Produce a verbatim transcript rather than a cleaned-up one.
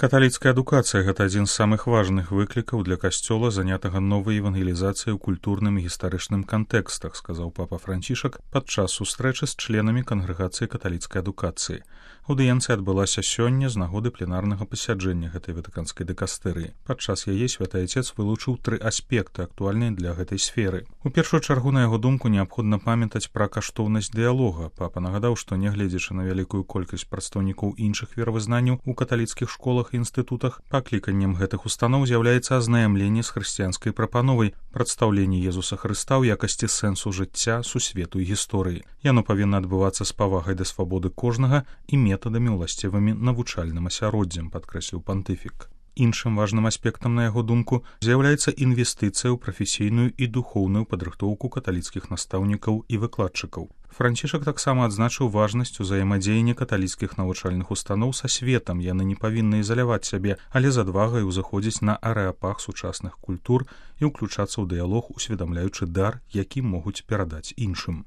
Каталіцкая адукацыя – гэта адзін з самых важных выклікаў для касцёла, занятага новай евангелізацыяй у культурным і гістарычным кантэкстах, сказаў папа Францішак падчас сустрэчы з членамі кангрэгацыі каталіцкай адукацыі. Аўдыенцыя адбылася сёння з нагоды пленарнага пасяджэння гэтай ватыканскай дыкастэрыі. Падчас яе святы Айцец вылучыў тры аспекты, актуальныя для гэтай сферы. У першую чаргу, на яго думку, неабходна памятаць пра каштоўнасць дыялога. Папа нагадаў, што нягледзячы на вялікую колькасць прадстаўнікоў іншых веравызнанняў у каталіцкіх школах і інстытутах, пакліканнем гэтых устаноў з'яўляецца азнаямленне з хрысціянскай прапановай, прадстаўленне Езуса Хрыста ў якасці сэнсу жыцця, сусвету і гісторыі. Яно павінна адбывацца з павагай да свабоды кожнага і метадамі ўласцівымі навучальным асяроддзям, падкрэсліў пантыфік. Іншым важным аспектам, на яго думку, з'яўляецца інвестыцыя ў прафесійную і духоўную падрыхтоўку каталіцкіх настаўнікаў і выкладчыкаў. Францішак таксама адзначыў важнасць узаемадзеяння каталіцкіх навучальных устаноў са светам. Яны не павінны ізаляваць сябе, але з адвагай узыходзіць на арэапаг сучасных культур і ўключацца ў дыялог, усведамляючы дар, які могуць перадаць іншым.